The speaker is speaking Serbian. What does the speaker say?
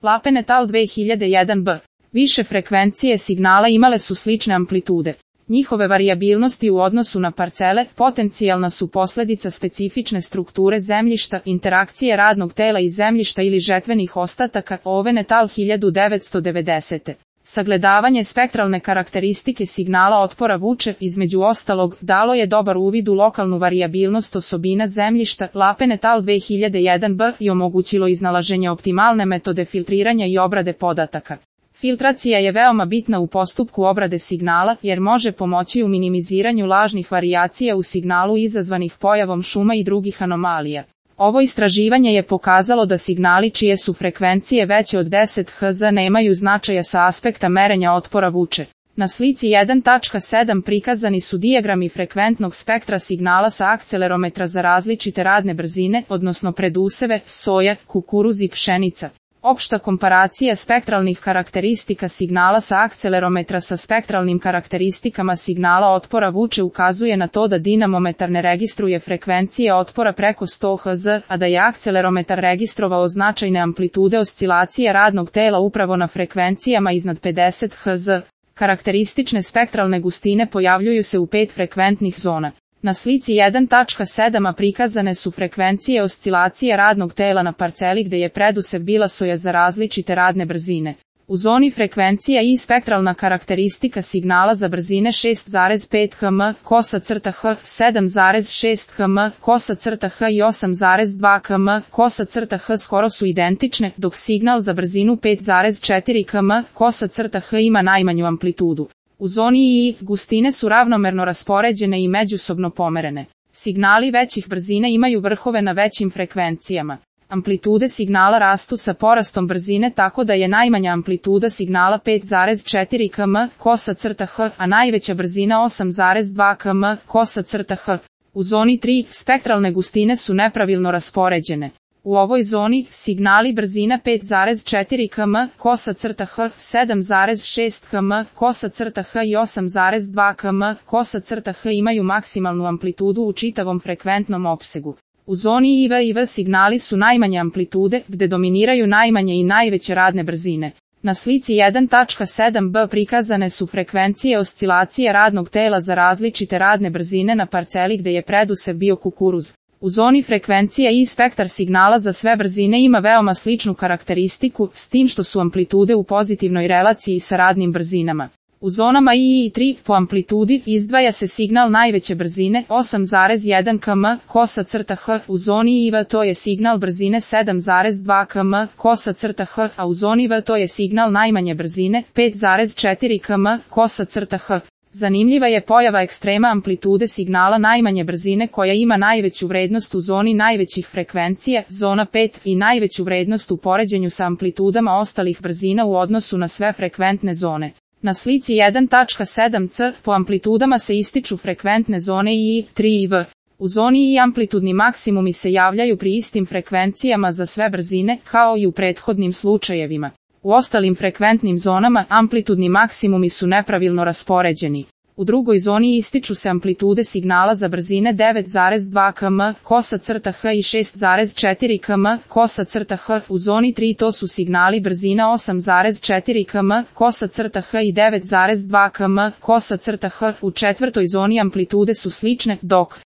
Lapenetal 2001b. Više frekvencije signala imale su slične amplitude. Njihove varijabilnosti u odnosu na parcele potencijalna su posljedica specifične strukture zemljišta, interakcije radnog tela i zemljišta ili žetvenih ostataka. Ovenetal 1990. Sagledavanje spektralne karakteristike signala otpora vuče, između ostalog, dalo je dobar uvid u lokalnu varijabilnost osobina zemljišta. Lapenetal 2001b i omogućilo iznalaženje optimalne metode filtriranja i obrade podataka. Filtracija je veoma bitna u postupku obrade signala jer može pomoći u minimiziranju lažnih varijacija u signalu izazvanih pojavom šuma i drugih anomalija. Ovo istraživanje je pokazalo da signali čije su frekvencije veće od 10 Hz nemaju značaja sa aspekta merenja otpora vuče. Na slici 1.7 prikazani su dijagrami frekventnog spektra signala sa akcelerometra za različite radne brzine, odnosno preduseve, soja, kukuruz i pšenica. Opšta komparacija spektralnih karakteristika signala sa akcelerometra sa spektralnim karakteristikama signala otpora vuče ukazuje na to da dinamometar ne registruje frekvencije otpora preko 100 Hz, a da je akcelerometar registrovao značajne amplitude oscilacije radnog tela upravo na frekvencijama iznad 50 Hz. Karakteristične spektralne gustine pojavljuju se u 5 frekventnih zona. Na slici 1.7 prikazane su frekvencije oscilacije radnog tela na parceli gde je predusev bila soja za različite radne brzine. U zoni frekvencija i spektralna karakteristika signala za brzine 6,5 km, kosa crta H, 7,6 km, kosa crta H i 8,2 km, kosa crta H skoro su identične, dok signal za brzinu 5,4 km, kosa crta H ima najmanju amplitudu. U zoni I gustine su ravnomerno raspoređene i međusobno pomerene. Signali većih brzina imaju vrhove na većim frekvencijama. Amplitude signala rastu sa porastom brzine tako da je najmanja amplituda signala 5,4 km, kosa crta H, a najveća brzina 8,2 km, kosa crta H. U zoni 3 spektralne gustine su nepravilno raspoređene. U ovoj zoni, signali brzina 5,4 km, kosa crta H, 7,6 km, kosa crta H i 8,2 km, kosa crta H imaju maksimalnu amplitudu u čitavom frekventnom opsegu. U zoni IV i V signali su najmanje amplitude, gde dominiraju najmanje i najveće radne brzine. Na slici 1.7b prikazane su frekvencije oscilacije radnog tela za različite radne brzine na parceli gde je predusev bio kukuruz. U zoni frekvencija i spektar signala za sve brzine ima veoma sličnu karakteristiku, s tim što su amplitude u pozitivnoj relaciji sa radnim brzinama. U zonama I i 3 po amplitudi izdvaja se signal najveće brzine 8,1 km, kosa crta H, u zoni IV to je signal brzine 7,2 km, kosa crta H, a u zoni V to je signal najmanje brzine 5,4 km, kosa crta H. Zanimljiva je pojava ekstrema amplitude signala najmanje brzine koja ima najveću vrednost u zoni najvećih frekvencija, zona 5, i najveću vrednost u poređenju sa amplitudama ostalih brzina u odnosu na sve frekventne zone. Na slici 1.7c po amplitudama se ističu frekventne zone I, 3 i V. U zoni I amplitudni maksimumi se javljaju pri istim frekvencijama za sve brzine, kao i u prethodnim slučajevima. U ostalim frekventnim zonama amplitudni maksimumi su nepravilno raspoređeni. U drugoj zoni ističu se amplitude signala za brzine 9,2 km, kosa crta H i 6,4 km, kosa crta H. U zoni 3 to su signali brzina 8,4 km, kosa crta H i 9,2 km, kosa crta H. U četvrtoj zoni amplitude su slične, dok